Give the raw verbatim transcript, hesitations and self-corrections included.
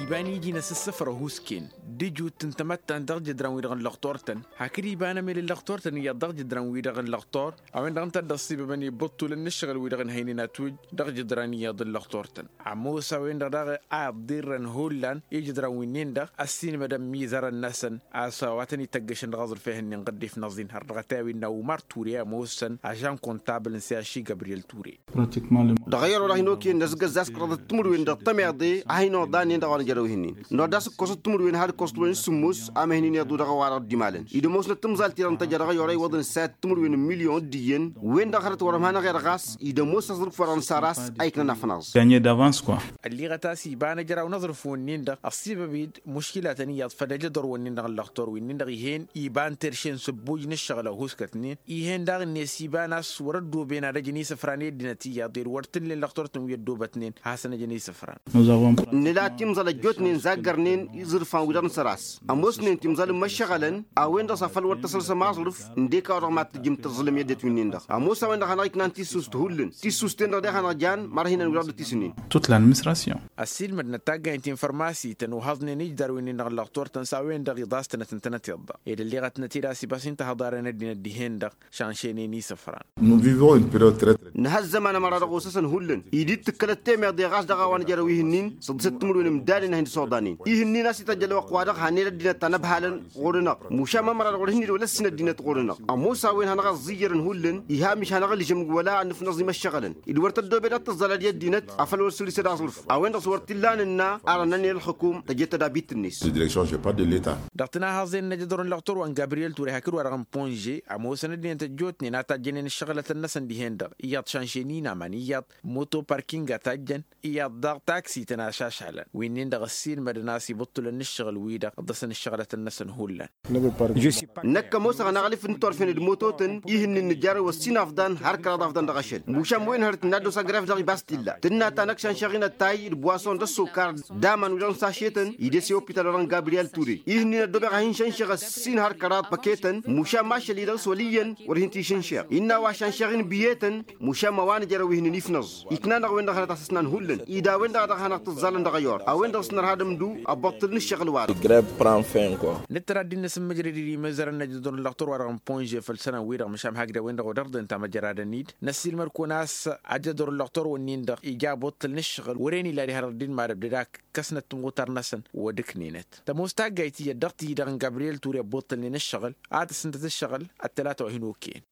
Iba n-iji n-asǝssǝfrăh usken d-ijut n-tamăttant dăɣ-jǝdran-wi-dăɣ n-lăxtor-tăn. Hakd iba n-emel n-lăxtor-tăn iyyăḍ dăɣ-jǝdran-wi-dăɣ n-lăxtor a-wen-dăɣ ǝnta a dd-ăṣṣibăbăn i-ibǝṭṭulăn n-ǝššăɣǝl-wi-dăɣ n-ehăynen atwǝj dăɣ-jǝdran iyyăḍ n-lăxtor-tăn. Ămoos a-wen-dăɣ daɣ a iḍirrăn hullan ijǝdran wi-nin-dăɣ ăssiinmădăn imizărăn-năsăn a-s wa tăn-ităggăšăn dăɣ-aẓrǝf ehăn n-inɣǝddef n-aẓin har dăɣ-ătay a-wi n-awmar ture ămoosăn ažan kontabǝl n-siyaši gabriyel ture. Dăɣ-ayăr-wa-dăɣ hin-okăyăn d-asgăzzas kăraḍăt timǝrwen dăɣ-tămeḍe a hin-oḍanen dăɣ-a-wa n-ejărew ihǝnnin. N-oḍas ǝkkoẓăt timǝrwen had ǝkkoẓăt-wen s-sǝmmos. Am ehǝnnin iḍu dăɣ-ăwarăɣ d-imalăn idămoosnăt timẓal-ti-dăɣ n-tăjja dăɣ-ayăr a iwwăḍăn s-ad-timǝrwen n-milyon d-iyyăn. Wen-dăɣ hărăt wăr-ămhanăɣ-i-dăɣ ɣas idămoos aẓrǝf-wa-dăɣ n-saras a iknăn afănaẓ. Ălliɣăt a-s iba n-ejăraw n-aẓrǝf-wǝnnin-dăɣ ăṣṣibăb-dd muškilatăn iyyăḍ făll-ejădor-wǝnnin-dăɣ n-lăxtor-wǝnnin-dăɣ ih'-en iba n-terše n-sǝbbuj n-ǝššăɣǝl ăhuuskătnen. Ih'-en daɣ-net iba n-a-s wăr-ăddooben ad-ăjăn isǝfran i-ăddinăt iyyăḍ ed wăr t-ǝllen lăxtor-tăn wi ăddoobătnen hasăn-ăjăn isǝfran. Nǝla timẓăl ăjjootnen zaggărnen iẓrǝfan-wi-dăɣ n-săr-a-s ămoosnen timẓăl n-imăššăɣălăn a-wen-dăɣ s-afăl wăr tăsălsăm aẓrǝf ǝndek a-wa dăɣ-mad-tǝjjǝm tǝẓẓǝlăm i-ăddinăt wi-nin-dăɣ. Ămoos a-wen-dăɣ hanăɣ-iknan tissust hullan tissust-en-dăɣ deɣ hanăɣ-jan mărhinăn wi-dăɣ dd-tisǝnnin. Ăssiilmădnăt taggaynt infărmasităn uhăẓnen ijdar wi-nin-dăɣ n-lăxtor-tăn s-a-wen-dăɣ iḍas-tănăt ǝntănăt iḍḍa ed ălleɣătnăt-dd a-s ibas intăhăḍarăn ăddinăt dihen-dăɣ. Šănšăynen isǝfran. Nǝha ăzzăman ămăra dăɣ-osăsăn hullan. Id-dd-tǝkkălăt temeḍe ɣas dăɣ-a-wa n-ejărew ihǝnnin săḍisăt timǝrwen n-imdanen a hin-dd-soḍanen. Ihǝnnin a-s ităjj ălwăqq-wa-dăɣ hanned ăddinăt ta n-ăbhalăn ɣur-năɣ. Mušam ămăra-dăɣ wăr hin-dd-wăla ăssin ăddinăt ɣur-năɣ. Ămoos a-wen hanăɣ-ăẓẓiyyărăn hullan. Iha mǝš hanăɣ-ǝlžǝm wăla ad-nǝfnăẓ imăššăɣǝlăn ed wăr tăddoobed ad-tǝẓẓălăd i-ăddinăt afăl wăr săl isăd aẓrǝf. A-wen-dăɣ s-wăr t-illa nǝnna arănăn i-ălxǝkum tăjed tădabit-net. Dăɣ-tǝnahăẓen n-ajădor n-lăxtor wa n-gabriyel ture hakd wa-dăɣ n-ponže ămoosăn ăddinăt ăjjootnen a tajjănen ǝššăɣǝlătăn-năsăn dihen-dăɣ iyyăḍ šanšen inaman iyyăḍ moto parking a tajjăn iyyăḍ daɣ taksităn ašašalăn. Wi-nin-dăɣ ăssiilmădăn a-s ibǝṭṭulăn n-ǝššăɣǝl-wi-dăɣ dd-ăsăn ǝššăɣǝlătăn-năsăn hullan. Năkk ămoosăɣ ănaɣlǝf n-turfen d-imototăn ihǝnnin nǝjjarăw ăssin afḍan har kăraḍ afḍan dăɣ-ašăl. Mušam wen hărăt n-ad-dd-osa gref dăɣ-ibas t-illa tǝnna ta năkk šănšăɣ-in ăttay d-buwason d-ăssokar d-aman wi-dăɣ n-sašetăn. Id'-e s-i opital wa dăɣ-n gabriyel ture ihǝnnin ăddobeɣ ad-hin-šănšăɣ ăssin har kăraḍ păketăn. Mušam ašăl-i-dăɣ s-wăl' iyyăn wăr hin-t-išǝnšeɣ innă a-wa šănšăɣ-in biyetăn. Mušam ăwanăj erăw ihǝnnin ifnăẓ iknan-dăɣ wen-dăɣ hănăt asăsnan hullan. Ida wen-dăɣ a dăɣ-hanăɣ-tǝẓẓalăn dăɣ-ayyor a-wen-dăɣ s-nărha d-ămdu ăbbuṭṭǝl n-ǝššăɣǝl-wa-dăɣ. Nǝttăr ad-dd-innăs n-mǝjrăd i-dd-imǝzărăn n-ajădor n-lăxtur-wa-dăɣ n-ponže făll-sănăn-wi-dăɣ măšan hakd a-wen-dăɣ odăɣ-dd-ǝnta măjradăn-dd. Năssiilmăd-kăwăn a-s ajădor n-lăxtur-wǝnnin-dăɣ ija ăbbuṭṭǝl n-ǝššăɣǝl wăren ila diha dăɣ-dd-inmadăb d-dak ǝkkăsnăt timɣutar-năsăn. Wăd-ǝknenăt tămoos taggayt iyyăt dăɣ-ti-dăɣ n-gabriyel ture ăbbuṭṭǝlnen ǝššăɣǝl ad-tǝsǝntăt ǝššăɣǝl ăttălata wa hin-okăyăn.